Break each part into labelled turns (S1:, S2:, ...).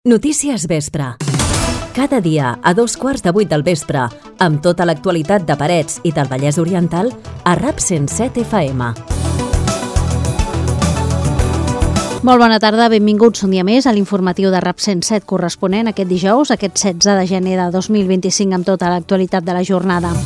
S1: Notícies Vespre. Cada dia a 7:15 del vespre, amb tota l'actualitat de Parets i del Vallès Oriental, a RAP 107 FM.
S2: Molt bona tarda, benvinguts un dia més a l'informatiu de RAP 107 corresponent aquest dijous, aquest 16 de gener de 2025, amb tota l'actualitat de la jornada.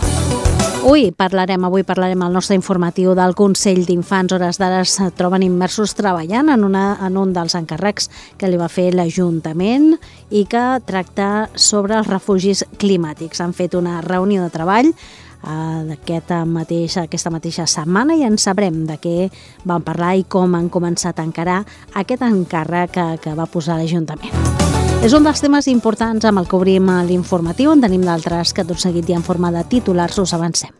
S2: Avui parlarem al nostre informatiu del Consell d'Infants. Hores d'ara es troben immersos treballant en un dels encàrrecs que li va fer l'Ajuntament i que tracta sobre els refugis climàtics. Han fet una reunió de treball aquesta mateixa setmana i en sabrem de què van parlar i com han començat a encarar aquest encàrrec que va posar l'Ajuntament. És un dels temes importants amb el que obrim l'informatiu. En tenim d'altres que tot seguit i en forma de titulars us avancem.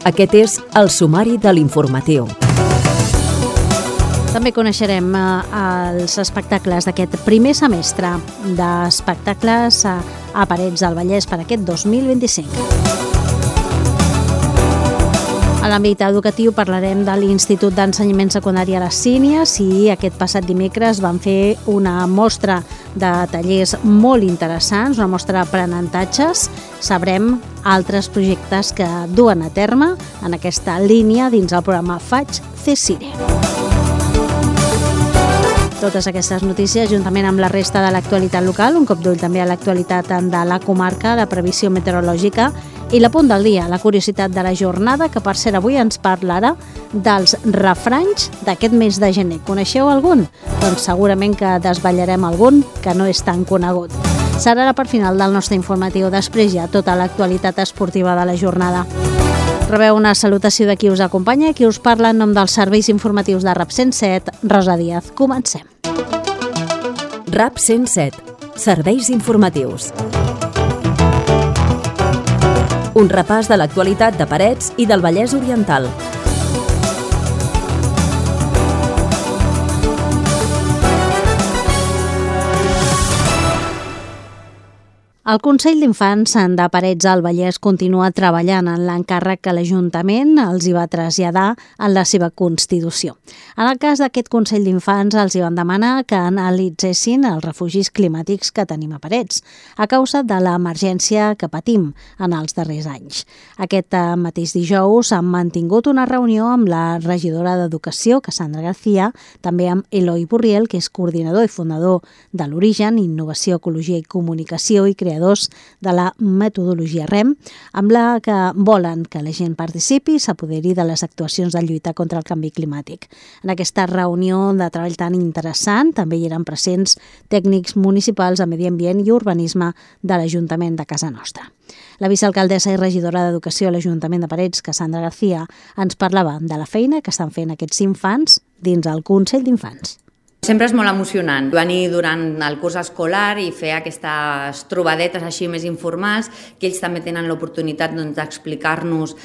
S1: Aquest és el sumari de l'informatiu.
S2: També coneixerem els espectacles d'aquest primer semestre d'espectacles a Parets del Vallès per aquest 2025. A l'àmbit educatiu parlarem de l'Institut d'Ensenyament Secundari a les Sínies i aquest passat dimecres van fer una mostra de tallers molt interessants, una mostra d'aprenentatges. Sabrem altres projectes que duen a terme en aquesta línia dins el programa Faig CSIRE. Totes aquestes notícies, juntament amb la resta de l'actualitat local, un cop d'ull també a l'actualitat de la comarca, la previsió meteorològica i l'apunt del dia, la curiositat de la jornada, que per cert avui ens parlarà dels refranys d'aquest mes de gener. Coneixeu algun? Doncs segurament que desvetllarem algun que no és tan conegut. Serà la part final del nostre informatiu, després ja tota l'actualitat esportiva de la jornada. Rebeu una salutació de qui us acompanya, qui us parla en nom dels serveis informatius de RAP 107, Rosa Díaz. Comencem.
S1: RAP 107. Serveis informatius. Un repàs de l'actualitat de Parets i del Vallès Oriental.
S2: El Consell d'Infants de Parets del Vallès continua treballant en l'encàrrec que l'Ajuntament els hi va traslladar en la seva Constitució. En el cas d'aquest Consell d'Infants els hi van demanar que analitzessin els refugis climàtics que tenim a Parets, a causa de l'emergència que patim en els darrers anys. Aquest mateix dijous han mantingut una reunió amb la regidora d'Educació, Cassandra García, també amb Eloi Burriel, que és coordinador i fundador de l'Origen, Innovació, Ecologia i Comunicació i creadors de la metodologia REM, amb la que volen que la gent participi i s'apoderi de les actuacions de lluita contra el canvi climàtic. En aquesta reunió de treball tan interessant també hi eren presents tècnics municipals de Medi Ambient i Urbanisme de l'Ajuntament de casa nostra. La vicealcaldessa i regidora d'Educació a l'Ajuntament de Parets, Cassandra García, ens parlava de la feina que estan fent aquests infants dins el Consell d'Infants.
S3: Sempre és molt emocionant venir durant el curs escolar i fer aquestes trobadetes així més informals, que ells també tenen l'oportunitat d'explicar-nos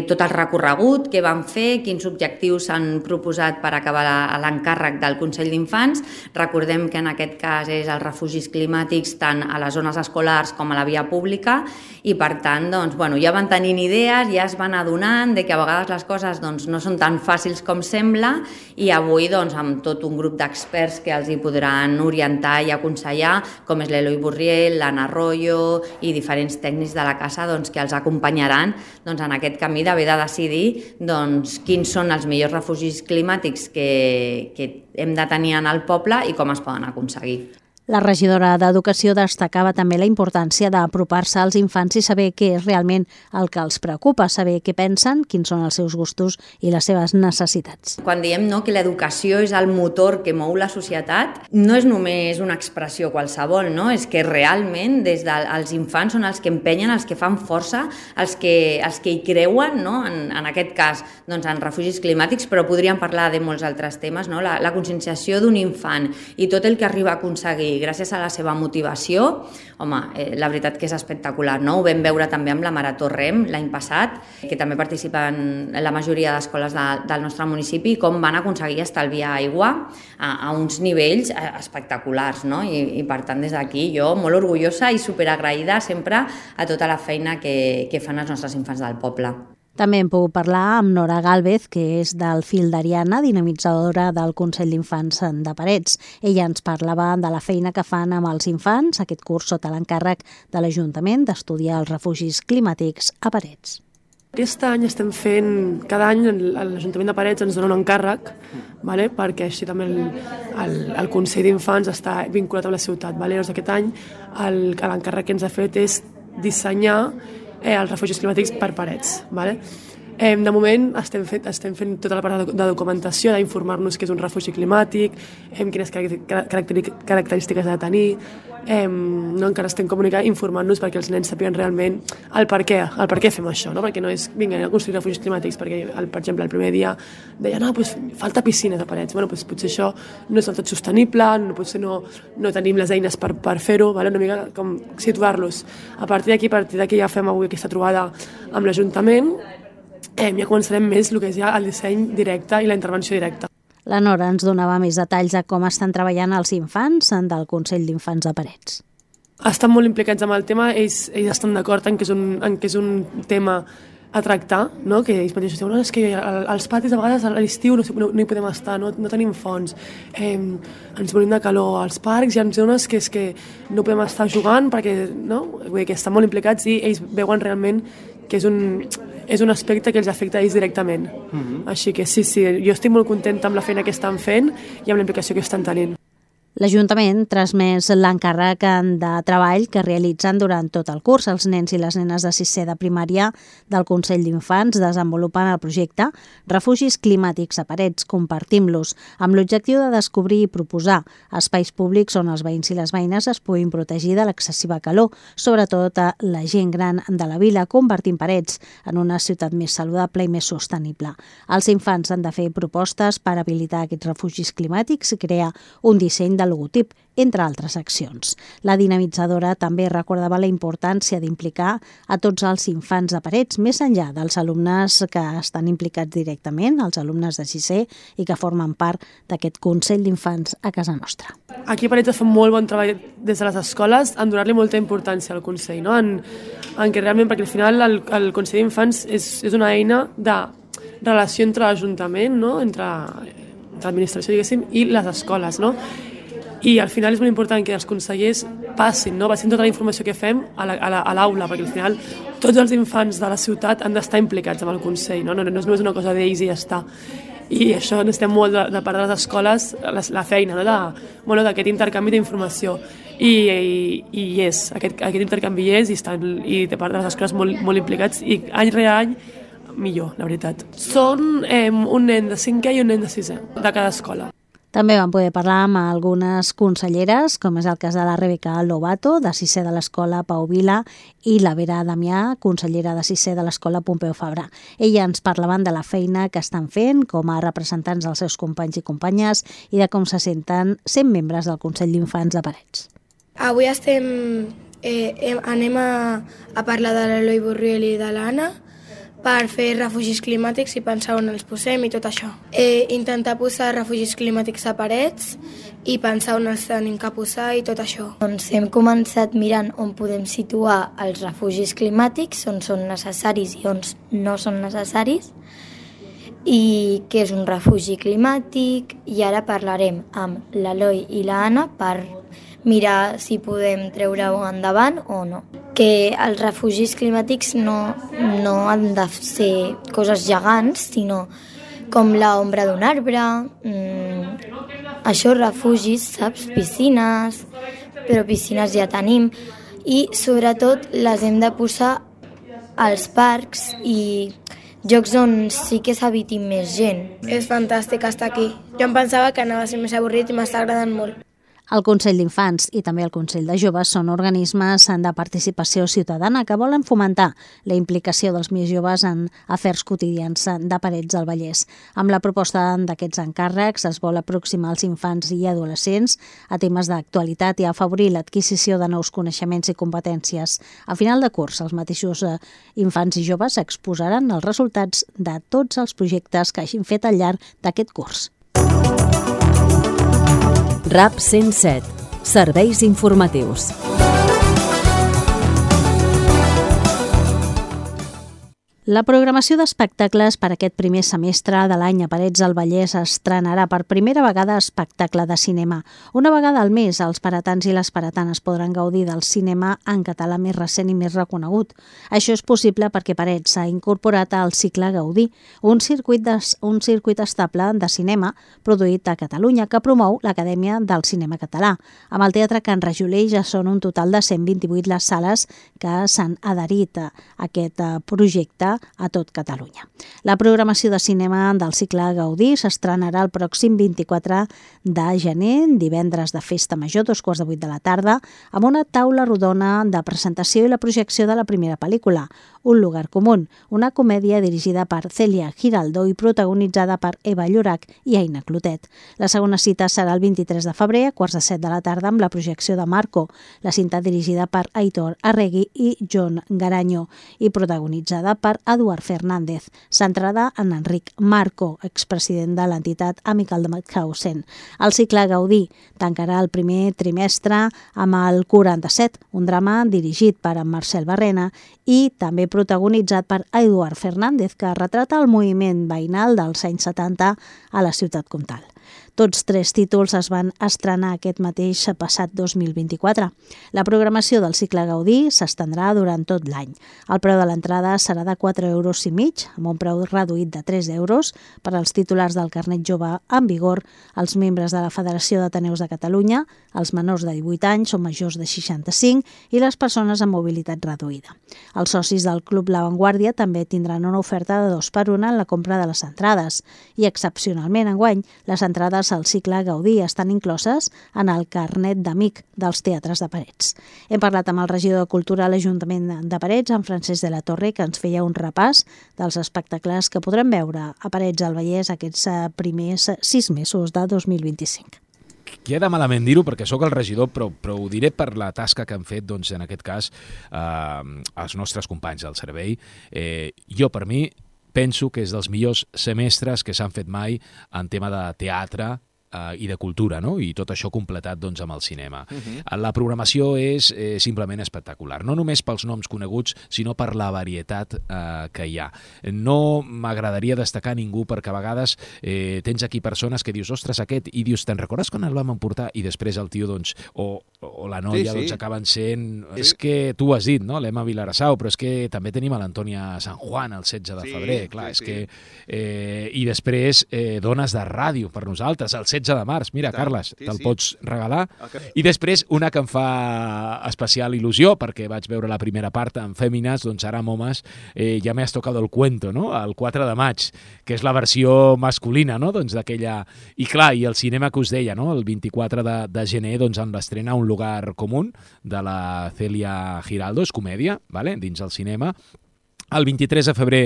S3: tot el recorregut que van fer, quins objectius s'han proposat per acabar l'encàrrec del Consell d'Infants. Recordem que en aquest cas és els refugis climàtics tant a les zones escolars com a la via pública i per tant ja van tenint idees, ja es van adonant de que a vegades les coses no són tan fàcils com sembla i avui amb tot un grup d'experts que els hi podran orientar i aconsellar, com és l'Eloi Burriel, l'Anna Arroyo i diferents tècnics de la casa que els acompanyaran en aquest camí d'haver de decidir quins són els millors refugis climàtics que hem de tenir en el poble i com es poden aconseguir.
S2: La regidora d'Educació destacava també la importància d'apropar-se als infants i saber què és realment el que els preocupa, saber què pensen, quins són els seus gustos i les seves necessitats.
S3: Quan diem que l'educació és el motor que mou la societat, no és només una expressió qualsevol, és que realment des dels infants són els que empenyen, els que fan força, els que hi creuen, en aquest cas en refugis climàtics, però podríem parlar de molts altres temes, la conscienciació d'un infant i tot el que arriba a aconseguir gràcies a la seva motivació, la veritat que és espectacular, no? Ho vam veure també amb la Marató REM l'any passat, que també participen la majoria d'escoles del nostre municipi, com van aconseguir estalviar aigua a uns nivells espectaculars, no? I per tant des d'aquí jo molt orgullosa i superagraïda sempre a tota la feina que fan els nostres infants del poble.
S2: També hem pogut parlar amb Nora Gálvez, que és del Fil d'Ariana, dinamitzadora del Consell d'Infants de Parets. Ella ens parlava de la feina que fan amb els infants, aquest curs sota l'encàrrec de l'Ajuntament d'estudiar els refugis climàtics a Parets.
S4: Aquest any estem fent, cada any l'Ajuntament de Parets ens dona un encàrrec, perquè així també el Consell d'Infants està vinculat amb la ciutat. Llavors aquest any l'encàrrec que ens ha fet és dissenyar els refugis climàtics per Parets. De moment estem fent tota la part de documentació, d'informar-nos què és un refugi climàtic, quines característiques ha de tenir, encara estem informant-nos perquè els nens sàpiguen realment el per què fem això, perquè no és vinga a construir refugis climàtics, perquè per exemple el primer dia deien falta piscines a Parets, potser això no és del tot sostenible, potser no tenim les eines per fer-ho, una mica com situar-los. A partir d'aquí ja fem avui aquesta trobada amb l'Ajuntament, ja començarem més el que és ja el disseny directe i la intervenció directa.
S2: La Nora ens donava més detalls de com estan treballant els infants del Consell d'Infants de Parets.
S4: Estan molt implicats amb el tema, ells estan d'acord en que és un tema a tractar, que ells mateixos diuen és que als patis a vegades a l'estiu no hi podem estar, no tenim fonts, ens morim de calor, als parcs hi ha zones que és que no podem estar jugant perquè vull dir que estan molt implicats i ells veuen realment que és un aspecte que els afecta a ells directament. Així que sí, jo estic molt contenta amb la feina que estan fent i amb la implicació que estan tenint.
S2: L'Ajuntament transmès l'encàrrec de treball que realitzen durant tot el curs. Els nens i les nenes de 6è de primària del Consell d'Infants desenvolupen el projecte Refugis climàtics a Parets, compartim-los, amb l'objectiu de descobrir i proposar espais públics on els veïns i les veïnes es puguin protegir de l'excessiva calor, sobretot a la gent gran de la vila, convertint Parets en una ciutat més saludable i més sostenible. Els infants han de fer propostes per habilitar aquests refugis climàtics i crear un disseny de logotip, entre altres accions. La dinamitzadora també recordava la importància d'implicar a tots els infants de Parets, més enllà dels alumnes que estan implicats directament, els alumnes de 6è i que formen part d'aquest Consell d'Infants a casa nostra.
S4: Aquí a Parets es fa molt bon treball des de les escoles en donar-li molta importància al Consell, en què realment, perquè al final el Consell d'Infants és una eina de relació entre l'Ajuntament, entre l'administració, diguéssim, i les escoles, I al final és molt important que els consellers passin tota la informació que fem a l'aula, perquè al final tots els infants de la ciutat han d'estar implicats amb el Consell, no és només una cosa d'ells i ja està. I això necessitem molt de part de les escoles, la feina, d'aquest intercanvi d'informació. I aquest intercanvi és, i de part de les escoles molt implicats, i any rere any millor, la veritat. Són un nen de 5è i un nen de 6è, de cada escola.
S2: També vam poder parlar amb algunes conselleres, com és el cas de la Rebeca Lobato, de 6è de l'Escola Pau Vila, i la Vera Damià, consellera de 6è de l'Escola Pompeu Fabra. Elles ens parlaven de la feina que estan fent com a representants dels seus companys i companyes i de com se senten sent membres del Consell d'Infants de Parets.
S5: Avui anem a parlar de l'Eloi Borriel i de l'Anna, per fer refugis climàtics i pensar on els posem i tot això. Intentar posar refugis climàtics a Parets i pensar on els tenim que posar i tot això.
S6: Doncs hem començat mirant on podem situar els refugis climàtics, on són necessaris i on no són necessaris, i què és un refugi climàtic, i ara parlarem amb l'Eloi i l'Anna per mirar si podem treure-ho endavant o no. Que els refugis climàtics no han de ser coses gegants, sinó com l'ombra d'un arbre, això, refugis, saps? Piscines, però piscines ja tenim, i sobretot les hem de posar als parcs i jocs on sí que s'habiti més gent.
S5: És fantàstic estar aquí. Jo em pensava que anava a ser més avorrit i m'està agradant molt.
S2: El Consell d'Infants i també el Consell de Joves són organismes de participació ciutadana que volen fomentar la implicació dels més joves en afers quotidians de Parets del Vallès. Amb la proposta d'aquests encàrrecs es vol aproximar els infants i adolescents a temes d'actualitat i afavorir l'adquisició de nous coneixements i competències. A final de curs, els mateixos infants i joves exposaran els resultats de tots els projectes que hagin fet al llarg d'aquest curs.
S1: RAP 107. Serveis informatius.
S2: La programació d'espectacles per aquest primer semestre de l'any a Parets del Vallès estrenarà per primera vegada espectacle de cinema. Una vegada al mes, els paratans i les paratanes podran gaudir del cinema en català més recent i més reconegut. Això és possible perquè Parets s'ha incorporat al cicle Gaudí, un circuit estable de cinema produït a Catalunya que promou l'Acadèmia del Cinema Català. Amb el Teatre Can Rajoler ja són un total de 128 les sales que s'han adherit a aquest projecte a tot Catalunya. La programació de cinema del cicle Gaudí s'estrenarà el pròxim 24 de gener, divendres de Festa Major, 7:15 de la tarda, amb una taula rodona de presentació i la projecció de la primera pel·lícula, Un lugar común, una comèdia dirigida per Celia Giraldo i protagonitzada per Eva Llorach i Aina Clotet. La segona cita serà el 23 de febrer, a 7:15 de la tarda, amb la projecció de Marco, la cinta dirigida per Aitor Arregui i John Garanyo i protagonitzada per Eduard Fernández, centrada en Enric Marco, expresident de l'entitat Amical de Mauthausen. El cicle Gaudí tancarà el primer trimestre amb el 47, un drama dirigit per en Marcel Barrena i també protagonitzat per Eduard Fernández, que retrata el moviment veïnal dels anys 70 a la ciutat comtal. Tots tres títols es van estrenar aquest mateix passat 2024. La programació del cicle Gaudí s'estendrà durant tot l'any. El preu de l'entrada serà de 4,5 €, amb un preu reduït de 3 € per als titulars del carnet jove en vigor, els membres de la Federació d'Ateneus de Catalunya, els menors de 18 anys o majors de 65 i les persones amb mobilitat reduïda. Els socis del Club La Vanguardia també tindran una oferta de 2x1 en la compra de les entrades i, excepcionalment, enguany, les entrades al cicle Gaudí estan incloses en el carnet d'amic dels teatres de Parets. Hem parlat amb el regidor de Cultura a l'Ajuntament de Parets, en Francesc de la Torre, que ens feia un repàs dels espectacles que podrem veure a Parets del Vallès aquests primers 6 mesos de 2025.
S7: Queda malament dir-ho perquè sóc el regidor, però ho diré per la tasca que han fet, doncs, en aquest cas, els nostres companys del servei. Jo, per mi, penso que és dels millors semestres que s'han fet mai en tema de teatre i de cultura, no? I tot això completat, doncs, amb el cinema. La programació és simplement espectacular, no només pels noms coneguts, sinó per la varietat que hi ha. No m'agradaria destacar ningú perquè a vegades tens aquí persones que dius, ostres, aquest, i dius, te'n recordes quan el vam emportar? I després el tio, doncs, o la noia, doncs, acaben sent... És que tu ho has dit, no? L'Emma Vilarassau, però és que també tenim a l'Antònia San Juan el 16 de febrer, clar, és que... I després, dones de ràdio per nosaltres, el 16 de març. Mira, Carles, te'l pots regalar. I després una que em fa especial il·lusió, perquè vaig veure la primera part en fèmines, doncs ara amb homes ja m'has tocado el cuento, no? El 4 de maig, que és la versió masculina, no? Doncs d'aquella... I clar, i el cinema que us deia, no? El 24 de gener, doncs amb l'estrena Un lugar común, de la Celia Giraldo, és comèdia, vale? Dins el cinema. El 23 de febrer,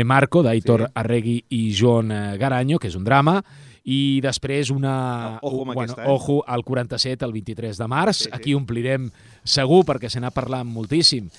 S7: Marco, d'Aitor Arregui i John Garanyo, que és un drama. I després Ojo, el 47, el 23 de març. Aquí omplirem segur perquè se n'ha parlat moltíssim.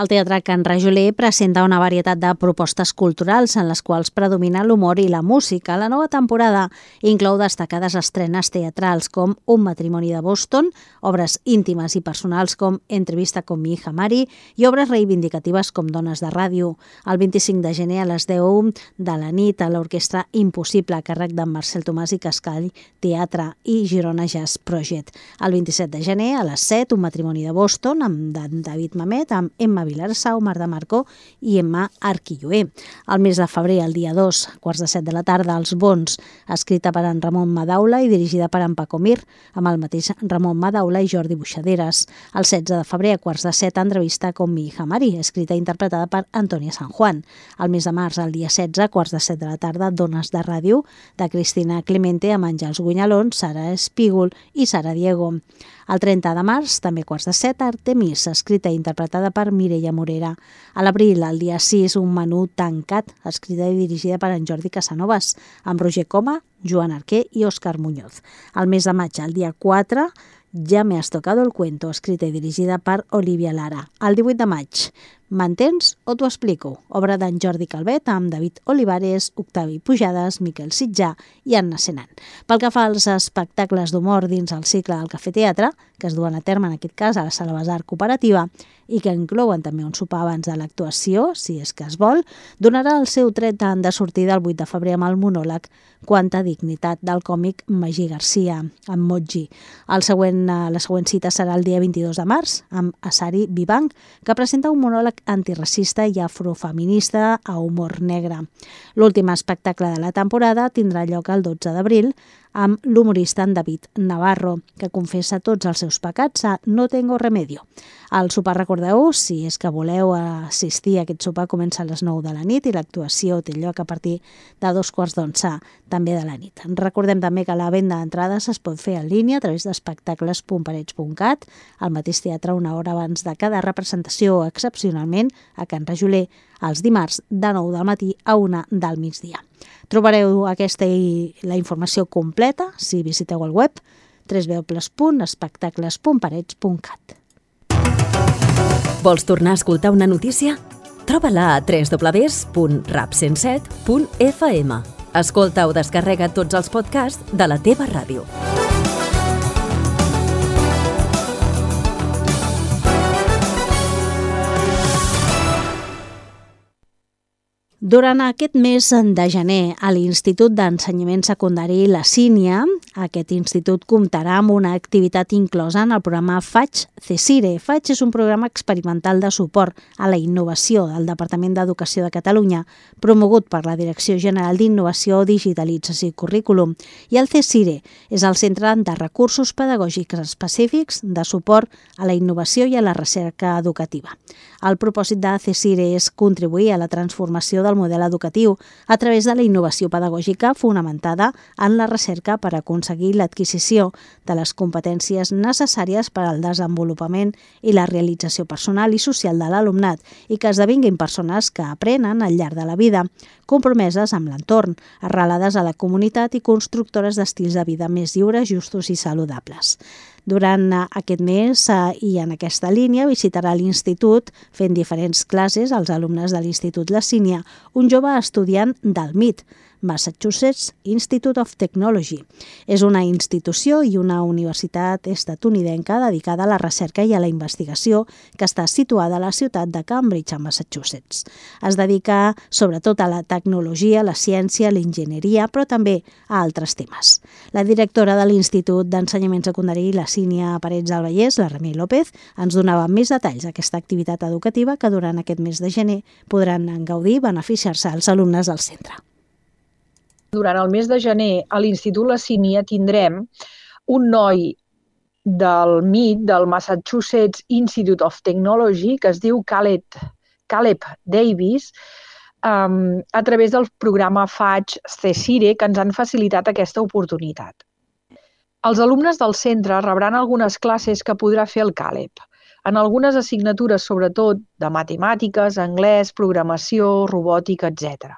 S2: El Teatre Can Rajoler presenta una varietat de propostes culturals en les quals predomina l'humor i la música. La nova temporada inclou destacades estrenes teatrals com Un matrimoni de Boston, obres íntimes i personals com Entrevista con mi hija Mari i obres reivindicatives com Dones de ràdio. El 25 de gener a les 10 de la nit a l'Orquestra Impossible a càrrec d'en Marcel Tomàs i Cascall, Teatre i Girona Jazz Project. El 27 de gener a les 7 Un matrimoni de Boston amb David Mamet, amb Emma Vilarassau, Marta Marco i Emma Arquilloé. El mes de febrer, el dia 2, 7:15 de la tarda, Els Bons, escrita per en Ramon Madaula i dirigida per en Paco Mir, amb el mateix Ramon Madaula i Jordi Buixaderes. El 16 de febrer, a 7:15, Entrevista con mi hija Mari, escrita i interpretada per Antònia San Juan. El mes de març, el dia 16, 7:15 de la tarda, Dones de ràdio, de Cristina Clemente, amb Àngels Gunyalón, Sara Espígol i Sara Diego. El 30 de març, també 7:15, Artemis, escrita i interpretada per Mireia Morera. A l'abril, el dia 6, Un menú tancat, escrita i dirigida per en Jordi Casanovas, amb Roger Coma, Joan Arquer i Òscar Muñoz. El mes de maig, el dia 4, Ja me has tocado el cuento, escrita i dirigida per Olivia Lara. El 18 de maig. M'entens o t'ho explico? Obra d'en Jordi Calvet amb David Olivares, Octavi Pujades, Miquel Sitjà i Anna Senan. Pel que fa als espectacles d'humor dins el cicle del Cafè Teatre, que es duen a terme en aquest cas a la Sala Besar Cooperativa i que inclouen també un sopar abans de l'actuació, si és que es vol, donarà el seu tret de sortida el 8 de febrer amb el monòleg Quanta dignitat del còmic Magí Garcia, amb Moji. La següent cita serà el dia 22 de març amb Asari Vivanc, que presenta un monòleg antiracista i afrofeminista a humor negre. L'últim espectacle de la temporada tindrà lloc el 12 d'abril amb l'humorista en David Navarro, que confessa tots els seus pecats a No tengo remedio. El sopar, recordeu, si és que voleu assistir a aquest sopar, comença a les 9 de la nit i l'actuació té lloc a partir de 11:15 també de la nit. Recordem també que la venda d'entrades es pot fer en línia a través d'espectacles.parets.cat, al mateix teatre una hora abans de cada representació, excepcionalment a Can Rajoler, els dimarts de 9 del matí a 1 del migdia. Trobareu aquesta i la informació completa si visiteu el web www.espectacles.parets.cat.
S1: Vols tornar a escoltar una notícia? Troba-la a www.rap107.fm. Escolta o descarrega tots els podcasts de la teva ràdio.
S2: Durant aquest mes de gener, a l'Institut d'Ensenyament Secundari La Sínia, aquest institut comptarà amb una activitat inclosa en el programa FAIG CECIRE. FAIG és un programa experimental de suport a la innovació del Departament d'Educació de Catalunya, promogut per la Direcció General d'Innovació, Digitalització i Currículum. I el CECIRE és el Centre de Recursos Pedagògics Específics de Suport a la Innovació i a la Recerca Educativa. El propòsit de CECIRE és contribuir a la transformació del model educatiu a través de la innovació pedagògica fonamentada en la recerca per aconseguir l'adquisició de les competències necessàries per al desenvolupament i la realització personal i social de l'alumnat i que esdevinguin persones que aprenen al llarg de la vida, compromeses amb l'entorn, arrelades a la comunitat i constructores d'estils de vida més lliures, justos i saludables. Durant aquest mes i en aquesta línia visitarà l'Institut fent diferents classes als alumnes de l'Institut La Sínia, un jove estudiant del MIT, Massachusetts Institute of Technology. És una institució i una universitat estatunidenca dedicada a la recerca i a la investigació que està situada a la ciutat de Cambridge, a Massachusetts. Es dedica sobretot a la tecnologia, la ciència, l'enginyeria, però també a altres temes. La directora de l'Institut d'Ensenyament Secundari La Sínia Parets del Vallès, la Remei López, ens donava més detalls d'aquesta activitat educativa que durant aquest mes de gener podran gaudir i beneficiar-se els alumnes del centre.
S8: Durant el mes de gener, a l'Institut La Sínia tindrem un noi del MIT, del Massachusetts Institute of Technology, que es diu Caleb Davis, a través del programa FAIG CECIRE, que ens han facilitat aquesta oportunitat. Els alumnes del centre rebran algunes classes que podrà fer el Caleb, en algunes assignatures, sobretot de matemàtiques, anglès, programació, robòtica, etc.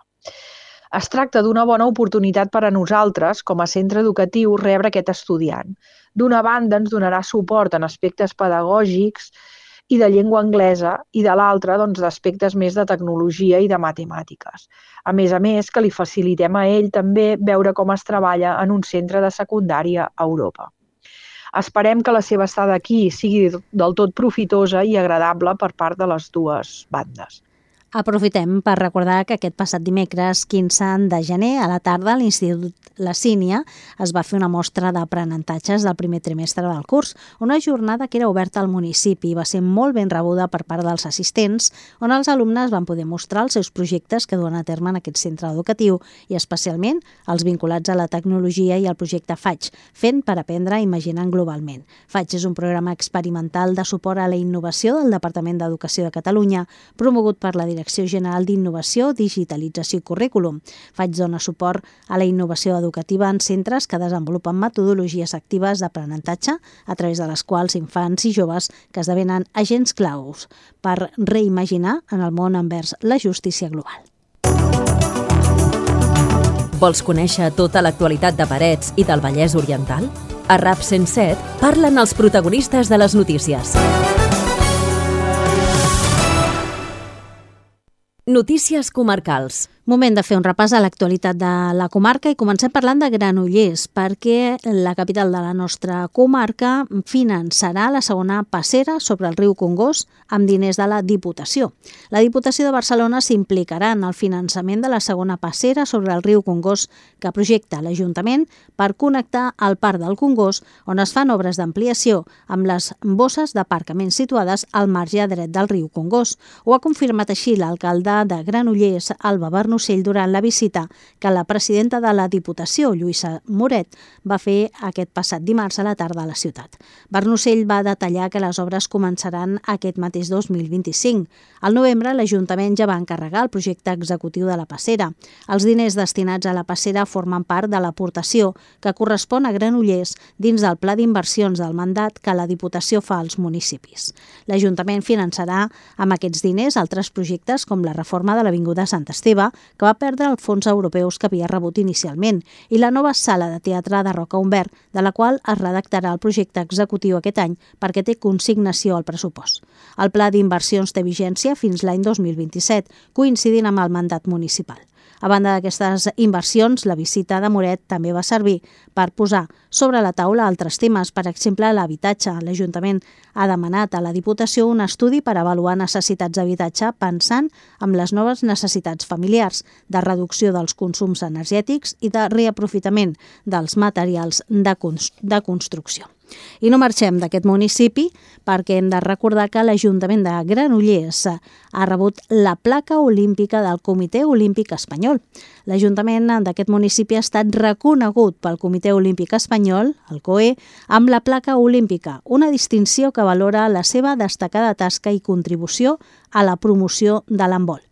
S8: Es tracta d'una bona oportunitat per a nosaltres, com a centre educatiu, rebre aquest estudiant. D'una banda, ens donarà suport en aspectes pedagògics i de llengua anglesa, i de l'altra, d'aspectes més de tecnologia i de matemàtiques. A més, que li facilitem a ell també veure com es treballa en un centre de secundària a Europa. Esperem que la seva estada aquí sigui del tot profitosa i agradable per part de les dues bandes.
S2: Aprofitem per recordar que aquest passat dimecres 15 de gener a la tarda a l'Institut La Sínia es va fer una mostra d'aprenentatges del primer trimestre del curs, una jornada que era oberta al municipi i va ser molt ben rebuda per part dels assistents, on els alumnes van poder mostrar els seus projectes que duen a terme en aquest centre educatiu i especialment els vinculats a la tecnologia i al projecte FAIG, fent per aprendre imaginant globalment. FAIG és un programa experimental de suport a la innovació del Departament d'Educació de Catalunya, promogut per la Direcció General d'Innovació, Digitalització i Currículum. FAIG dona suport a la innovació educativa en centres que desenvolupen metodologies actives d'aprenentatge a través de les quals infants i joves que esdevenen agents claus per reimaginar en el món envers la justícia global.
S1: Vols conèixer tota l'actualitat de Parets i del Vallès Oriental? A RAP 107 parlen els protagonistes de les notícies. Notícies comarcals.
S2: Moment de fer un repàs a l'actualitat de la comarca i comencem parlant de Granollers, perquè la capital de la nostra comarca finançarà la segona passera sobre el riu Congost amb diners de la Diputació. La Diputació de Barcelona s'implicarà en el finançament de la segona passera sobre el riu Congost que projecta l'Ajuntament per connectar el Parc del Congost, on es fan obres d'ampliació amb les bosses d'aparcament situades al marge dret del riu Congost. Ho ha confirmat així l'alcalde de Granollers, Alba Barnocell, durant la visita que la presidenta de la Diputació, Lluïsa Moret, va fer aquest passat dimarts a la tarda a la ciutat. Barnocell va detallar que les obres començaran aquest mateix 2025. Al novembre, l'Ajuntament ja va encarregar el projecte executiu de la passera. Els diners destinats a la passera formen part de l'aportació que correspon a Granollers dins del pla d'inversions del mandat que la Diputació fa als municipis. L'Ajuntament finançarà amb aquests diners altres projectes com la reforma de l'Avinguda Sant Esteve, que va perdre els fons europeus que havia rebut inicialment, i la nova sala de teatre de Roca Humbert, de la qual es redactarà el projecte executiu aquest any perquè té consignació al pressupost. El pla d'inversions té vigència fins l'any 2027, coincidint amb el mandat municipal. A banda d'aquestes inversions, la visita de Moret també va servir per posar sobre la taula altres temes, per exemple, l'habitatge. L'Ajuntament ha demanat a la Diputació un estudi per avaluar necessitats d'habitatge pensant en les noves necessitats familiars, de reducció dels consums energètics i de reaprofitament dels materials de construcció. I no marxem d'aquest municipi perquè hem de recordar que l'Ajuntament de Granollers ha rebut la placa olímpica del Comitè Olímpic Espanyol. L'Ajuntament d'aquest municipi ha estat reconegut pel Comitè Olímpic Espanyol, el COE, amb la placa olímpica, una distinció que valora la seva destacada tasca i contribució a la promoció de l'handbol.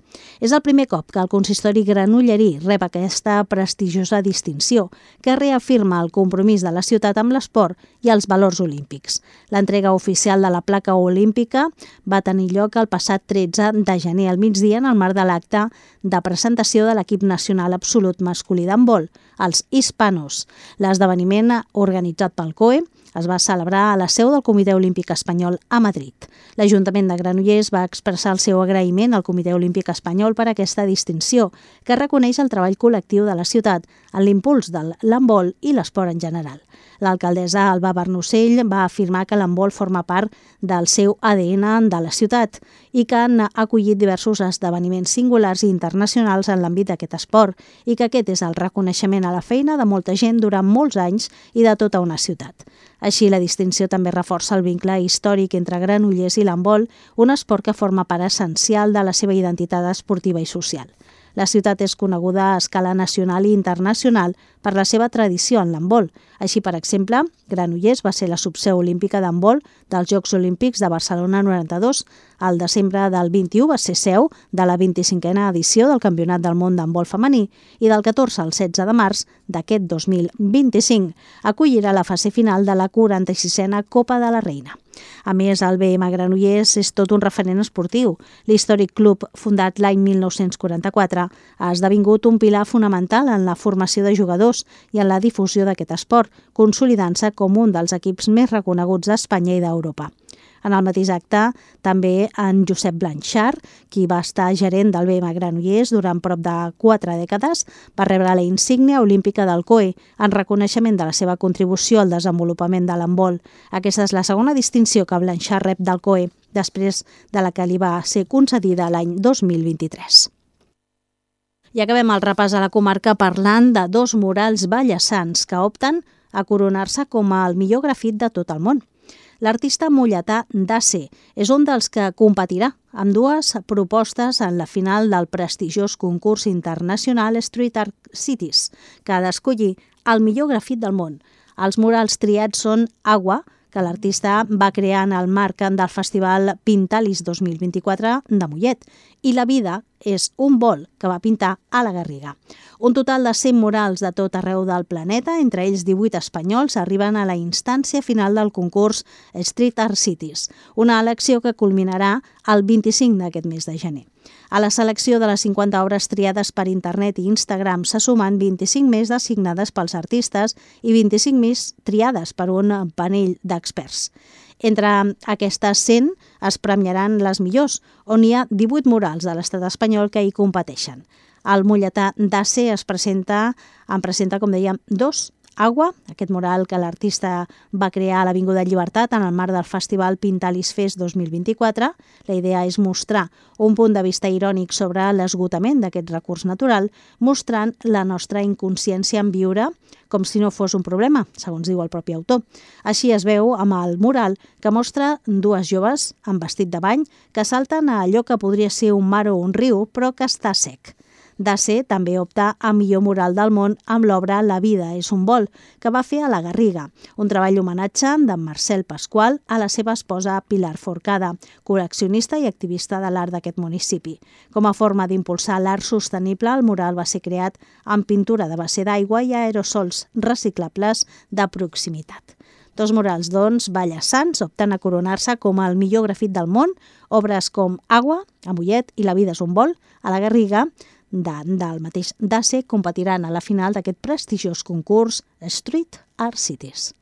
S2: És el primer cop que el consistori granollerí rep aquesta prestigiosa distinció, que reafirma el compromís de la ciutat amb l'esport i els valors olímpics. L'entrega oficial de la placa olímpica va tenir lloc el passat 13 de gener al migdia en el marc de l'acte de presentació de l'equip nacional absolut masculí d'handbol, els Hispanos. L'esdeveniment organitzat pel COE es va celebrar a la seu del Comitè Olímpic Espanyol a Madrid. L'Ajuntament de Granollers va expressar el seu agraïment al Comitè Olímpic Espanyol per aquesta distinció, que reconeix el treball col·lectiu de la ciutat en l'impuls de l'handbol i l'esport en general. L'alcaldessa Alba Barnocell va afirmar que l'handbol forma part del seu ADN de la ciutat i que han acollit diversos esdeveniments singulars i internacionals en l'àmbit d'aquest esport i que aquest és el reconeixement a la feina de molta gent durant molts anys i de tota una ciutat. Així, la distinció també reforça el vincle històric entre Granollers i l'handbol, un esport que forma part essencial de la seva identitat esportiva i social. La ciutat és coneguda a escala nacional i internacional per la seva tradició en l'handbol. Així, per exemple, Granollers va ser la subseu olímpica d'handbol dels Jocs Olímpics de Barcelona 92. Al desembre del 21 va ser seu de la 25a edició del Campionat del Món d'handbol femení i del 14 al 16 de març d'aquest 2025 acollirà la fase final de la 46a Copa de la Reina. A més, el BM Granollers és tot un referent esportiu. L'històric club, fundat l'any 1944, ha esdevingut un pilar fonamental en la formació de jugadors i en la difusió d'aquest esport, consolidant-se com un dels equips més reconeguts d'Espanya i d'Europa. En el mateix acte, també en Josep Blanchard, qui va estar gerent del BM Granollers durant prop de 4 dècades, va rebre la insígnia olímpica del COE en reconeixement de la seva contribució al desenvolupament de l'handbol. Aquesta és la segona distinció que Blanchard rep del COE, després de la que li va ser concedida l'any 2023. I acabem el repàs a la comarca parlant de dos murals ballassans que opten a coronar-se com el millor grafit de tot el món. L'artista molletà Dace és un dels que competirà amb dues propostes en la final del prestigiós concurs internacional Street Art Cities, que ha d'escollir el millor grafit del món. Els murals triats són Agua, que l'artista va crear en el marc del Festival Pintalis 2024 de Mollet, i La vida és un vol que va pintar a la Garriga. Un total de 100 murals de tot arreu del planeta, entre ells 18 espanyols, arriben a la instància final del concurs Street Art Cities, una elecció que culminarà el 25 d'aquest mes de gener. A la selecció de les 50 obres triades per internet i Instagram se sumen 25 més designades pels artistes i 25 més triades per un panell d'experts. Entre aquestes 100 es premiaran les millors, on hi ha 18 murals de l'estat espanyol que hi competeixen. El Molletà d'Ace en presenta, com dèiem, 2. Agua, aquest mural que l'artista va crear a l'Avinguda Llibertat en el marc del Festival Pintalis Fest 2024. La idea és mostrar un punt de vista irònic sobre l'esgotament d'aquest recurs natural, mostrant la nostra inconsciència en viure com si no fos un problema, segons diu el propi autor. Així es veu amb el mural que mostra 2 joves amb vestit de bany que salten a allò que podria ser un mar o un riu, però que està sec. D'Ace també opta a millor mural del món amb l'obra La vida és un vol, que va fer a la Garriga, un treball d'homenatge d'en Marcel Pasqual a la seva esposa Pilar Forcada, col·leccionista i activista de l'art d'aquest municipi. Com a forma d'impulsar l'art sostenible, el mural va ser creat amb pintura de base d'aigua i aerosols reciclables de proximitat. 2 murals, doncs, ballassans, opten a coronar-se com el millor grafit del món, obres com Agua, a Mollet, i La vida és un vol, a la Garriga, del mateix d'Ace, competiran a la final d'aquest prestigiós concurs Street Art Cities.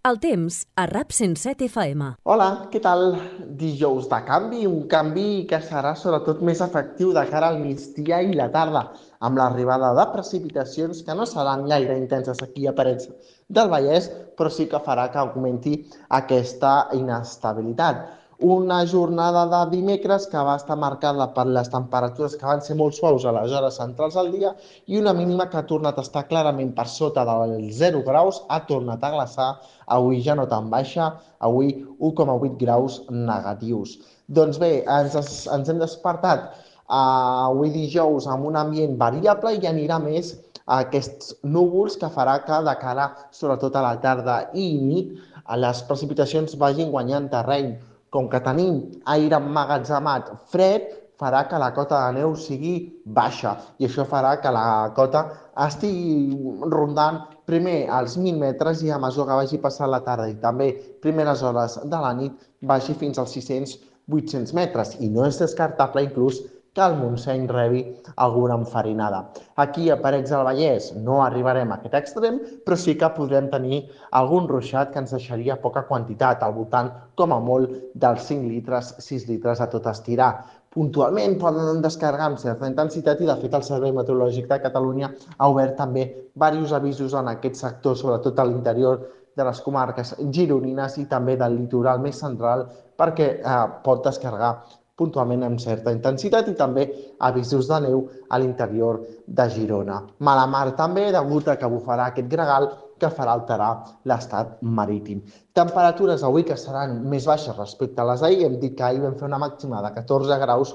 S1: El temps a RAP 107 FM.
S9: Hola, què tal? Dijous de canvi, un canvi que serà sobretot més efectiu de cara al migdia i la tarda, amb l'arribada de precipitacions que no seran gaire intenses aquí a Parets del Vallès, però sí que farà que augmenti aquesta inestabilitat. Una jornada de dimecres que va estar marcada per les temperatures que van ser molt suaus a les hores centrals del dia i una mínima que ha tornat a estar clarament per sota dels 0 graus, ha tornat a glaçar, avui ja no tan baixa, avui 1,8 graus negatius. Doncs bé, ens hem despertat avui dijous amb un ambient variable i anirà més a aquests núvols que farà que de cara, sobretot a la tarda i nit, les precipitacions vagin guanyant terreny. Com que tenim aire emmagatzemat fred, farà que la cota de neu sigui baixa i això farà que la cota estigui rondant primer als 1.000 metres i a mesura que vagi passant la tarda i també primeres hores de la nit vagi fins als 600-800 metres i no és descartable inclús que el Montseny rebi alguna enfarinada. Aquí a Parets del Vallès no arribarem a aquest extrem, però sí que podrem tenir algun ruixat que ens deixaria poca quantitat, al voltant, com a molt, dels 5 litres, 6 litres a tot estirar. Puntualment poden descarregar amb certa intensitat i, de fet, el Servei Meteorològic de Catalunya ha obert també diversos avisos en aquest sector, sobretot a l'interior de les comarques gironines i també del litoral més central, perquè pot descarregar puntualment amb certa intensitat i també avisos de neu a l'interior de Girona. Mala mar també, degut a que bufarà aquest gregal que farà alterar l'estat marítim. Temperatures avui que seran més baixes respecte a les d'ahir. Hem dit que ahir vam fer una màxima de 14 graus.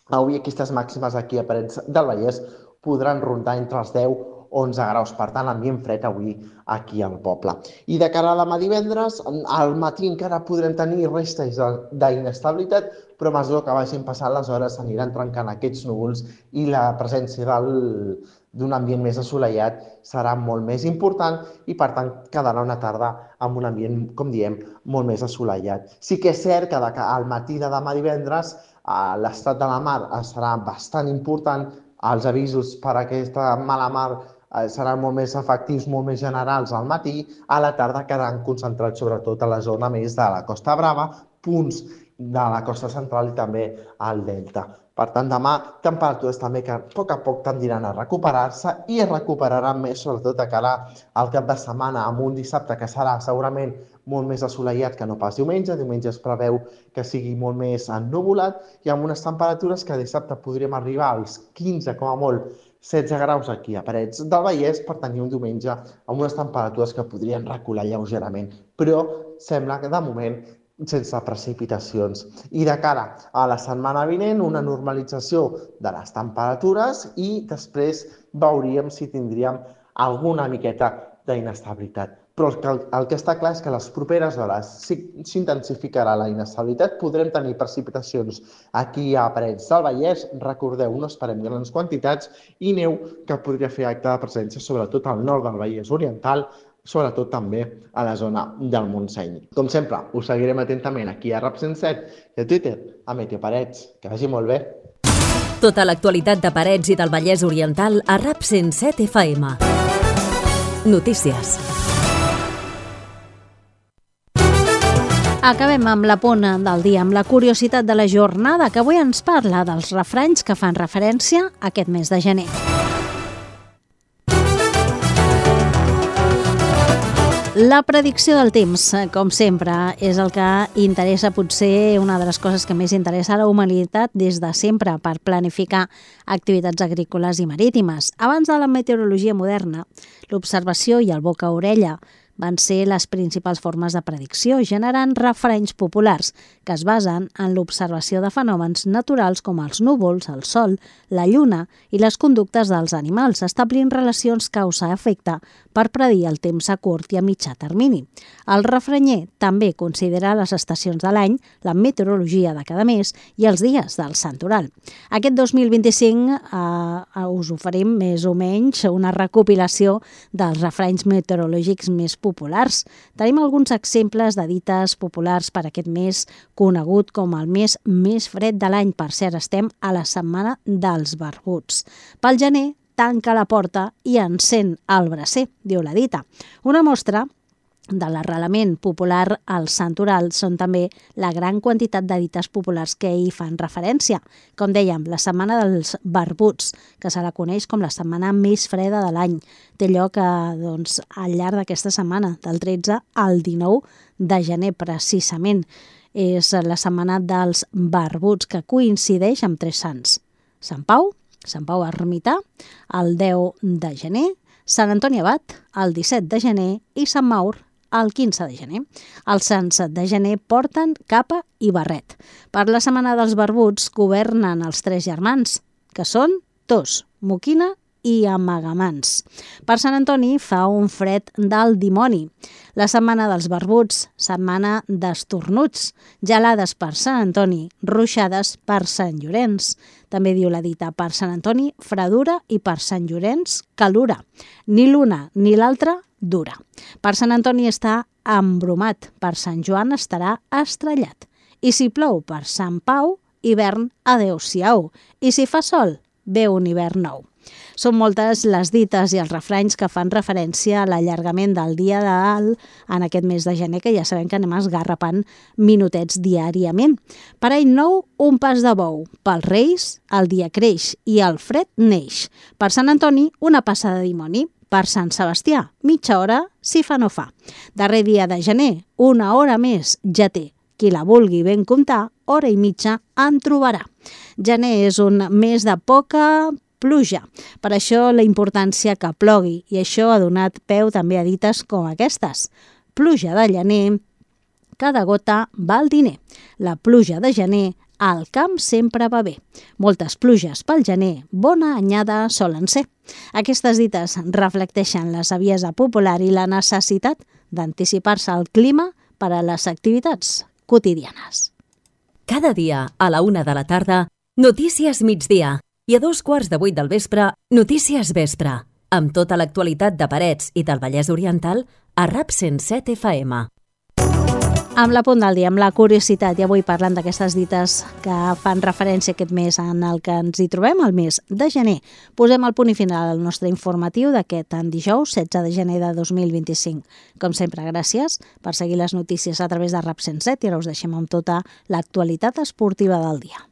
S9: Avui aquestes màximes aquí a Parets del Vallès podran rondar entre els 10 11 graus, per tant, ambient fred avui aquí al poble. I de cara a demà divendres, al matí encara podrem tenir restes d'inestabilitat, però a mesura que vagin passant les hores s'aniran trencant aquests núvols i la presència d'un ambient més assolellat serà molt més important i, per tant, quedarà una tarda amb un ambient, com diem, molt més assolellat. Sí que és cert que al matí de demà divendres l'estat de la mar serà bastant important, els avisos per aquesta mala mar seran molt més efectius, molt més generals al matí, a la tarda quedaran concentrats sobretot a la zona més de la Costa Brava, punts de la costa central i també al delta. Per tant, demà temperatures també que a poc tendiran a recuperar-se i es recuperaran més sobretot a cara al cap de setmana amb un dissabte que serà segurament molt més assolellat que no pas diumenge. Diumenge es preveu que sigui molt més ennuvolat i amb unes temperatures que dissabte podríem arribar als 15 com a molt 16 graus aquí a Parets del Vallès per tenir un diumenge amb unes temperatures que podrien recular lleugerament, però sembla que de moment sense precipitacions. I de cara a la setmana vinent, una normalització de les temperatures i després veuríem si tindríem alguna miqueta d'inestabilitat. Però el que està clar és que a les properes hores s'intensificarà la inestabilitat, podrem tenir precipitacions aquí a Parets del Vallès, recordeu, no esperem grans quantitats, i neu que podria fer acte de presència sobretot al nord del Vallès Oriental, sobretot també a la zona del Montseny. Com sempre, us seguirem atentament aquí a RAP 107 i a Twitter, a Meteo Parets. Que vagi molt bé.
S1: Tota l'actualitat de Parets i del Vallès Oriental a RAP 107 FM. Notícies.
S2: Acabem amb la punt del dia, amb la curiositat de la jornada, que avui ens parla dels refranys que fan referència a aquest mes de gener. La predicció del temps, com sempre, és el que interessa, potser una de les coses que més interessa a la humanitat des de sempre per planificar activitats agrícoles i marítimes. Abans de la meteorologia moderna, l'observació i el boca a orella van ser les principals formes de predicció, generant refranys populars que es basen en l'observació de fenòmens naturals com els núvols, el sol, la lluna i les conductes dels animals, establint relacions causa-efecte per predir el temps a curt i a mitjà termini. El refranyer també considera les estacions de l'any, la meteorologia de cada mes i els dies del santoral. Aquest 2025 us oferim més o menys una recopilació dels refranys meteorològics més populars. Tenim alguns exemples de dites populars per aquest mes conegut com el mes més fred de l'any. Per cert, estem a la setmana dels barbuts. Pel gener, tanca la porta i encén el bracer, diu la dita. Una mostra de l'arrelament popular al santoral són també la gran quantitat de dites populars que hi fan referència. Com dèiem, la setmana dels barbuts, que se la coneix com la setmana més freda de l'any, té lloc al llarg d'aquesta setmana, del 13 al 19 de gener, precisament. És la setmana dels barbuts, que coincideix amb 3 sants. Sant Pau Ermità, el 10 de gener, Sant Antoni Abat, el 17 de gener i Sant Maur, el 15 de gener. Els sants de gener porten capa i barret. Per la setmana dels barbuts governen els 3 germans, que són Tos, Moquina i Amagamans. Per Sant Antoni fa un fred del dimoni. La setmana dels barbuts, setmana d'estornuts. Gelades per Sant Antoni, ruixades per Sant Llorenç. També diu la dita, per Sant Antoni, fredura i per Sant Llorenç, calura. Ni l'una ni l'altra dura. Per Sant Antoni està embromat, per Sant Joan estarà estrellat. I si plou per Sant Pau, hivern adeu-siau. I si fa sol, ve un hivern nou. Són moltes les dites i els refranys que fan referència a l'allargament del dia de dalt en aquest mes de gener, que ja sabem que anem esgarrapant minutets diàriament. Per any nou, un pas de bou. Pels Reis, el dia creix i el fred neix. Per Sant Antoni, una passa de dimoni. Per Sant Sebastià, mitja hora, si fa no fa. Darrer dia de gener, una hora més ja té. Qui la vulgui ben comptar, hora i mitja en trobarà. Gener és un mes de poca pluja. Per això la importància que plogui, i això ha donat peu també a dites com aquestes. Pluja de gener, cada gota val diner. La pluja de gener, al camp sempre va bé. Moltes pluges pel gener, bona anyada solen ser. Aquestes dites reflecteixen la saviesa popular i la necessitat d'anticipar-se al clima per a les activitats quotidianes.
S1: Cada dia, a la 1 de la tarda, Notícies Migdia. I a 2:15 del vespre, Notícies Vespre, amb tota l'actualitat de Parets i del Vallès Oriental a RAP 107 FM.
S2: Amb la punt del dia, amb la curiositat, i avui parlant d'aquestes dites que fan referència a aquest mes en el que ens hi trobem, el mes de gener. Posem el punt i final al nostre informatiu d'aquest dijous, 16 de gener de 2025. Com sempre, gràcies per seguir les notícies a través de RAP 107 i ara us deixem amb tota l'actualitat esportiva del dia.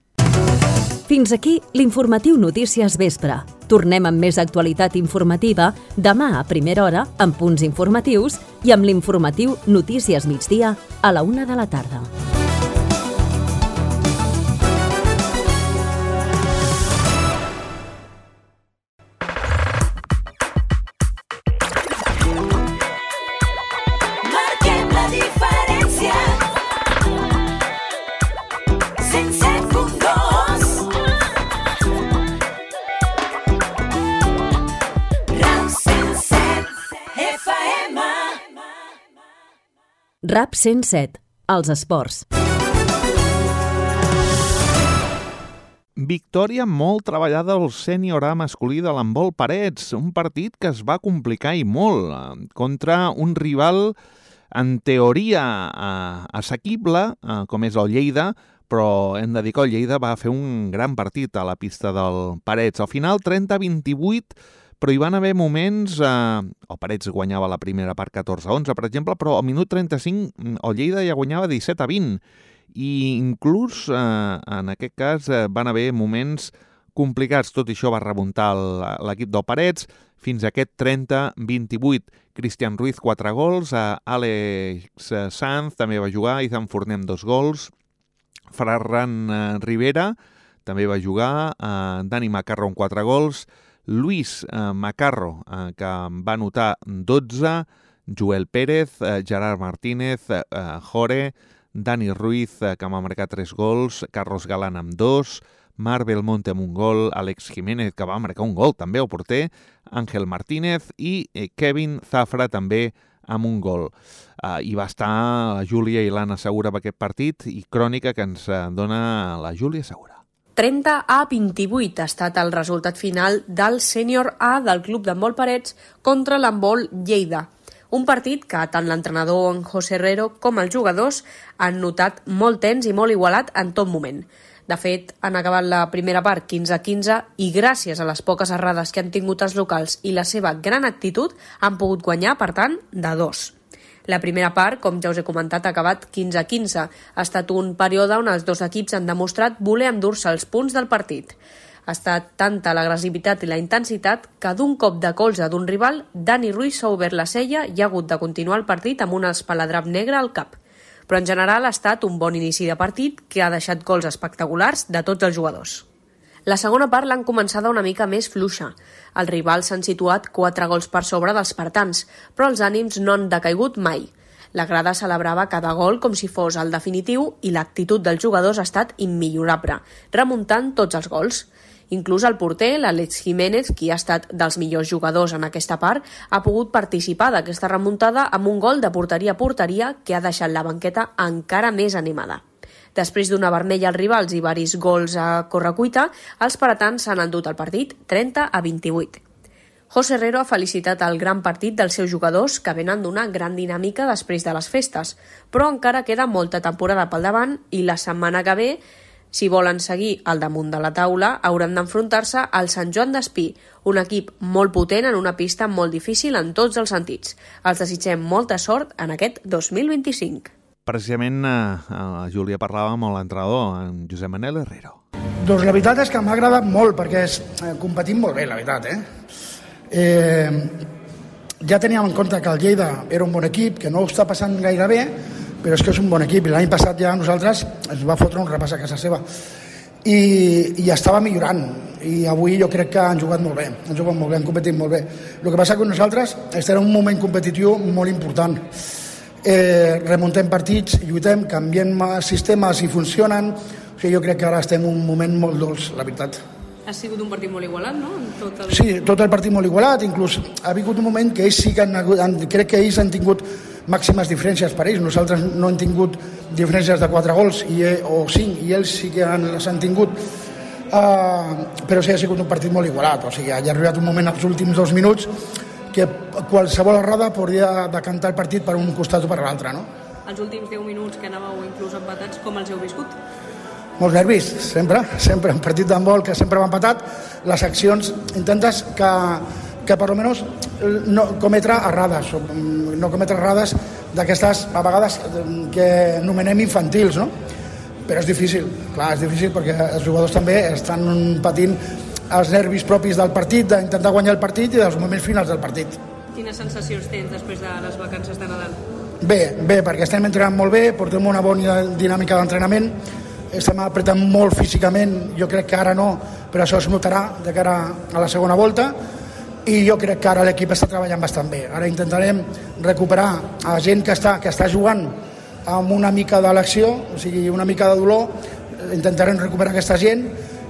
S1: Fins aquí l'informatiu Notícies Vespre. Tornem amb més actualitat informativa demà a primera hora amb punts informatius i amb l'informatiu Notícies Migdia a la 1 de la tarda.
S10: Marquem la diferència. 107.2 RAP 107 FM.
S1: RAP 107, els esports.
S11: Victòria molt treballada al sènior A masculí de l'handbol Parets, un partit que es va complicar i molt contra un rival en teoria assequible, com és el Lleida, però hem de dir que el Lleida va fer un gran partit a la pista del Parets. Al final 30-28, però hi van haver moments... el Parets guanyava la primera part 14-11, per exemple, però al minut 35 el Lleida ja guanyava 17-20. I inclús en aquest cas van haver moments complicats. Tot això va remuntar l'equip del Parets fins a aquest 30-28. Cristian Ruiz 4 gols, Àlex Sanz també va jugar, Izan Fornem 2 gols, Ferran Rivera també va jugar, Dani Macarro amb 4 gols, Luis Macarro que va anotar 12, Joel Pérez, Gerard Martínez, Jore, Dani Ruiz, que va marcar 3 gols, Carlos Galán amb 2, Marc Belmonte amb un gol, Àlex Jiménez, que va marcar un gol també al porter, Àngel Martínez i Kevin Zafra també amb un gol. I va estar la Júlia i l'Anna Segura amb aquest partit i crònica que ens dona la Júlia Segura.
S12: 30-28 ha estat el resultat final del sènior A del Club d'Handbol Parets contra l'Handbol Lleida. Un partit que tant l'entrenador en José Herrero com els jugadors han notat molt tens i molt igualat en tot moment. De fet, han acabat la primera part 15-15 i gràcies a les poques errades que han tingut els locals i la seva gran actitud han pogut guanyar, per tant, de 2. La primera part, com ja us he comentat, ha acabat 15-15. Ha estat un període on els dos equips han demostrat voler endur-se els punts del partit. Ha estat tanta l'agressivitat i la intensitat que d'un cop de colze d'un rival, Dani Ruiz s'ha obert la cella i ha hagut de continuar el partit amb un espaladrap negre al cap. Però en general ha estat un bon inici de partit que ha deixat gols espectaculars de tots els jugadors. La segona part l'han començada una mica més fluixa. Els rivals s'han situat 4 gols per sobre dels espartans, però els ànims no han decaigut mai. La grada celebrava cada gol com si fos el definitiu i l'actitud dels jugadors ha estat immillorable, remuntant tots els gols. Inclús el porter, l'Àlex Jiménez, qui ha estat dels millors jugadors en aquesta part, ha pogut participar d'aquesta remuntada amb un gol de porteria a porteria que ha deixat la banqueta encara més animada. Després d'una vermella als rivals i varis gols a correcuita, els paratans s'han endut el partit 30-28. José Herrero ha felicitat el gran partit dels seus jugadors que venen d'una gran dinàmica després de les festes, però encara queda molta temporada pel davant i la setmana que ve, si volen seguir al damunt de la taula, hauran d'enfrontar-se al Sant Joan d'Espí, un equip molt potent en una pista molt difícil en tots els sentits. Els desitgem molta sort en aquest 2025.
S11: Precisament la Júlia parlava amb l'entrenador, en Josep Manel Herrero.
S13: Doncs la veritat és que m'ha agradat molt perquè competim molt bé, la veritat. Ja teníem en compte que el Lleida era un bon equip, que no ho està passant gaire bé, però és que és un bon equip i l'any passat ja a nosaltres ens va fotre un repàs a casa seva i estava millorant i avui jo crec que han jugat molt bé, han competit molt bé. El que passa que nosaltres estem en un moment competitiu molt important. Remuntem partits, lluitem, canviem sistemes i funcionen, o sigui, jo crec que ara estem en un moment molt dolç, la veritat.
S12: Ha sigut un partit molt igualat, no?
S13: Sí, tot el partit molt igualat, inclús ha vingut un moment que ells sí que crec que ells han tingut màximes diferències per ells. Nosaltres no hem tingut diferències de 4 gols o 5 i ells sí que les han tingut. Però sí, ha sigut un partit molt igualat. O sigui, ha arribat un moment als últims 2 minuts que qualsevol errada podria decantar el partit per un costat o per l'altre, no?
S12: Els últims 10 minuts que anàveu inclús empatats, com els heu viscut?
S13: Molts nervis, sempre. Un partit d'handbol que sempre va empatat. Les accions intentes que per almenys no cometre errades d'aquestes, a vegades, que anomenem infantils, no? Però és difícil, clar, és difícil perquè els jugadors també estan patint els nervis propis del partit, d'intentar guanyar el partit i dels moments finals del partit.
S12: Quines sensacions tens després de les vacances de Nadal?
S13: Bé, perquè estem entrenant molt bé, portem una bona dinàmica d'entrenament, estem apretant molt físicament, jo crec que ara no, però això es notarà de cara a la segona volta, i jo crec que ara l'equip està treballant bastant bé. Ara intentarem recuperar a la gent que està jugant amb una mica de l'acció, o sigui, una mica de dolor, intentarem recuperar aquesta gent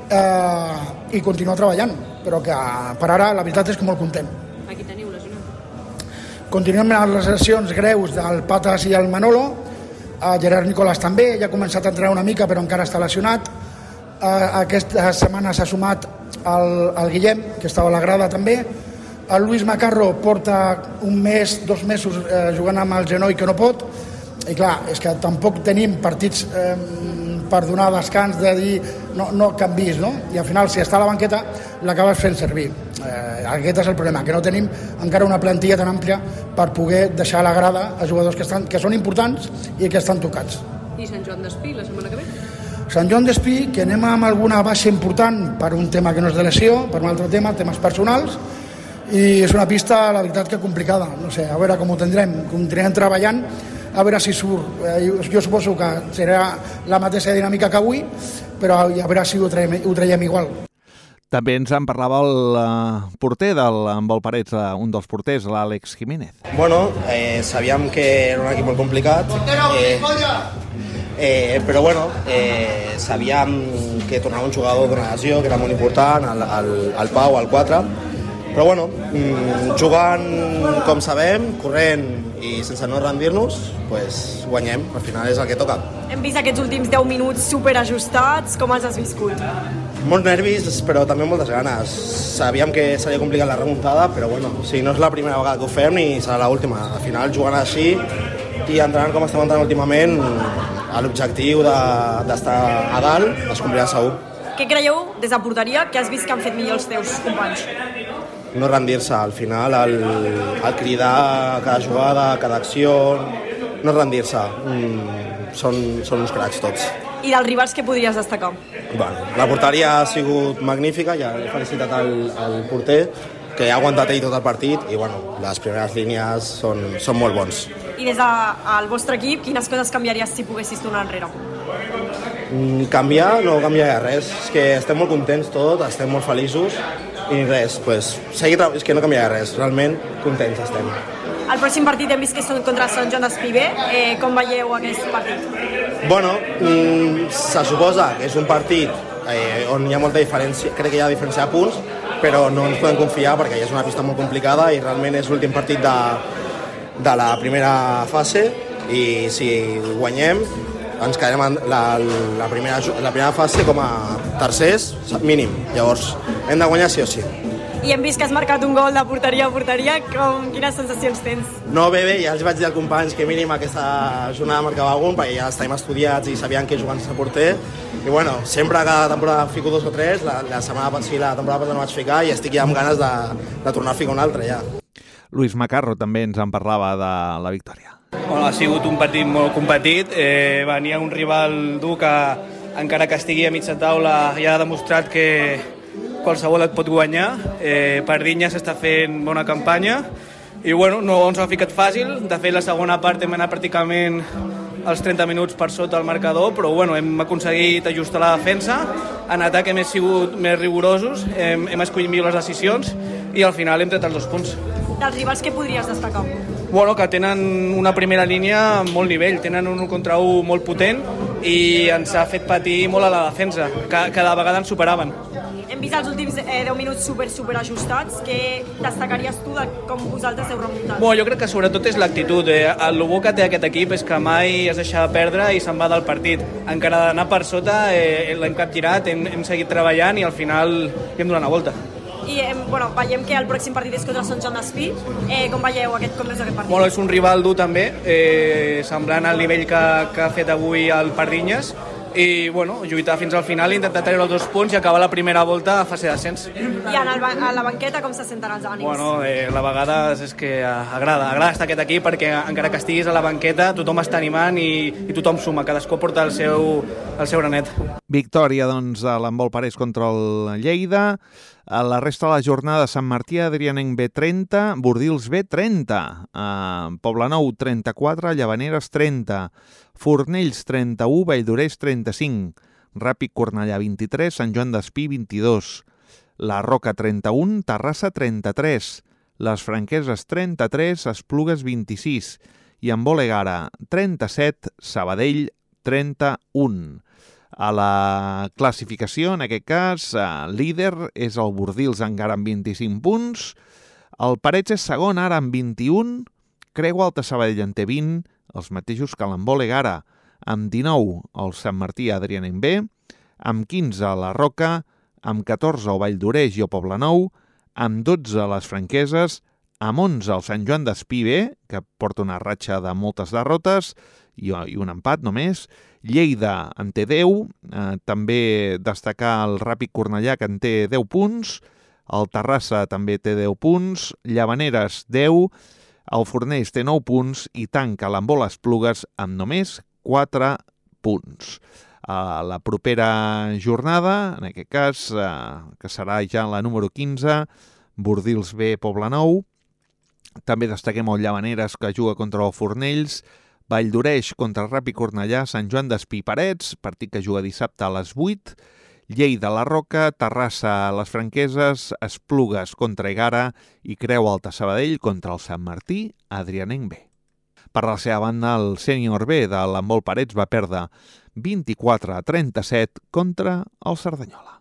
S13: i continuar treballant, però que per ara la veritat és que molt content.
S12: Aquí teniu lesionat?
S13: Continuem amb les lesions greus del Patas i el Manolo. Gerard Nicolás també, ja ha començat a entrenar una mica però encara està lesionat. Aquesta setmana s'ha sumat el Guillem, que estava a la grada també. El Luis Macarro porta un mes, 2 mesos jugant amb el genoll que no pot, i clar, és que tampoc tenim partits per donar descans de dir no canvis, no? I al final, si està a la banqueta, l'acabes fent servir. Aquest és el problema, que no tenim encara una plantilla tan àmplia per poder deixar a la grada a jugadors que són importants i que estan tocats.
S12: I Sant Joan d'Espí la setmana que ve?
S13: Sant Joan d'Espí, que anem amb alguna baixa important per un tema que no és de lesió, per un altre tema, temes personals, i és una pista, la veritat, que complicada. No sé, a veure com ho tindrem. Continuem treballant, a veure si surt. Jo suposo que serà la mateixa dinàmica que avui, però a veure si ho traiem igual.
S11: També ens en parlava el porter del Handbol Parets, un dels porters, l'Àlex Jiménez.
S14: Bueno, sabíem que era un equip molt complicat, però bueno, sabíem que tornava un jugador d'una lesió, que era molt important, el Pau, el 4, però bueno, jugant com sabem, corrent i sense no rendir-nos, pues guanyem, al final és el que toca.
S12: Hem vist aquests últims 10 minuts superajustats, com els has viscut?
S14: Molts nervis, però també moltes ganes. Sabíem que seria complicat la remuntada, però bueno, si no és la primera vegada que ho fem ni serà l'última. Al final, jugant així i entrenant com estem entrenant últimament, l'objectiu d'estar a dalt es complirà segur.
S12: Què creieu, des de porteria, que has vist que han fet millor els teus companys?
S14: No rendir-se, al final, el cridar cada jugada, cada acció, no rendir-se. Són uns cracs tots.
S12: I dels rivals què podries destacar?
S14: Bueno, la porteria ha sigut magnífica, ja he felicitat el porter, que ha aguantat ell tot el partit, i bueno, les primeres línies són molt bons.
S12: I des del vostre equip, quines coses canviaries si poguessis tornar enrere?
S14: Canviar no canviaria res, és que estem molt contents tots, estem molt feliços, i res, pues, és que no canviaria res, realment contents estem.
S12: El pròxim partit hem vist que són contra Sant Joan d'Espí B. Com veieu aquest partit?
S14: Bueno, se suposa que és un partit on hi ha molta diferència, crec que hi ha diferència de punts, però no ens podem confiar perquè és una pista molt complicada i realment és l'últim partit de la primera fase, i si guanyem ens quedarem en la primera fase com a tercers mínim. Llavors hem de guanyar sí o sí.
S12: I hem vist que has marcat un gol de porteria a porteria. Quines sensacions tens?
S14: No, bé, ja els vaig dir als companys que mínim aquesta jornada marcava algun, perquè ja estem estudiats i sabien que jugant sense porter. I bueno, sempre cada temporada fico 2 o 3, la temporada passada no vaig ficar i estic ja amb ganes de tornar a ficar un altre ja.
S11: Luis Macarro també ens en parlava de la victòria.
S15: Bueno, ha sigut un partit molt competit, venia un rival dur que encara que estigui a mitja taula ja ha demostrat que qualsevol et pot guanyar. Pardinyes està fent bona campanya i bueno, no ens ha ficat fàcil. De fet, la segona part hem anat pràcticament els 30 minuts per sota el marcador, però bueno, hem aconseguit ajustar la defensa. En atac hem sigut més rigorosos, hem escollit millor les decisions i al final hem tret els 2 punts.
S12: Dels rivals què podries destacar?
S15: Bueno, que tenen una primera línia amb molt nivell, tenen un 1 contra 1 molt potent i ens ha fet patir molt a la defensa, cada vegada ens superaven.
S12: Hem vist els últims 10 minuts super ajustats. Què destacaries tu de com vosaltres heu remuntat?
S15: Bueno, jo crec que sobretot és l'actitud. El bo que té aquest equip és que mai es deixa perdre i se'n va del partit. Encara d'anar per sota l'hem capgirat, hem seguit treballant i al final hem donat la volta.
S12: I bueno, veiem que el pròxim partit és contra Sant Joan d'Espí. Com veieu aquest partit?
S15: Bueno, és un rival dur també, semblant al nivell que ha fet avui el Pardinyes, i bueno, lluitar fins al final, intentar treure els 2 punts i acabar la primera volta a fase d'ascens.
S12: I a la banqueta com se senten els ànims?
S15: Bueno, la vegada és que agrada estar aquest equip perquè encara que estiguis a la banqueta tothom està animant i tothom suma, cadascú porta el seu granet.
S11: Victòria, doncs, a l'handbol Parets contra el Lleida. A la resta de la jornada, Sant Martí Adrianenc B30, Bordils B30, Poblenou 34, Llavaneres 30, Fornells 31, Valldoreix 35, Ràpid Cornellà 23, Sant Joan d'Espí 22, La Roca 31, Terrassa 33, Les Franqueses 33, Esplugues 26 i Handbol Egara 37, Sabadell 31. A la classificació, en aquest cas, líder és el Bordils encara amb 25 punts, el Parets és segon ara amb 21, Creu Alta Sabadell en té 20, els mateixos que l'Handbol Egara. Amb 19 el Sant Martí Adrianenc B, amb 15 la Roca, amb 14 el Vall d'Oreix i el Poblenou, amb 12 les Franqueses, amb 11 el Sant Joan d'Espí B, que porta una ratxa de moltes derrotes i un empat només. Lleida en té 10, també destacar el Ràpid Cornellà, que en té 10 punts, el Terrassa també té 10 punts, Llavaneres 10, el Fornells té 9 punts i tanca l'Handbol Esplugues amb només 4 punts. La propera jornada, en aquest cas, que serà ja la número 15, Bordils B, Poblenou. També destaquem el Llavaneres, que juga contra el Fornells, Vall d'Oreix contra el Ràpid Cornellà, Sant Joan d'Espí Parets, partit que juga dissabte a les 8, Lleida la Roca, Terrassa les Franqueses, Esplugues contra Egara i Creu Alta Sabadell contra el Sant Martí Adrianenc B. Per la seva banda, el sènior B de l'Handbol Parets va perdre 24-37 contra el Cerdanyola.